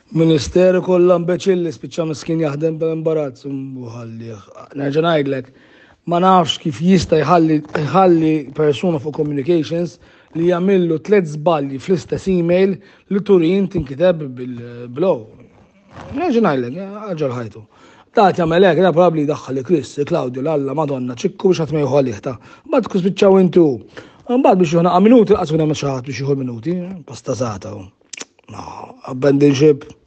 Ministeru kollha imbeċilli spiċċa miskin jaħdem bl-imbarazz u ħallih. Nerġa' ngħidlek, ma nafx kif jista' jħalli jħalli persuna fuq communications li jagħmillu tliet żbalji fl-istess email li Turin tinkiteb bil-blow. Nerġa' ngħidlek, ġol ħajtu. Da jagħmel hekk, da probabbli jdaħħal li Chris, Claudio, l-Alla, Madonna, ċikku biex ħadd ma jieħu għalih ta' Mbagħad tkun spiċċaw intu. Mbagħad biex jieħu minuti, qas hemm xi ħadd biex jieħu minuti, pasta żgħata. No, abandon ship.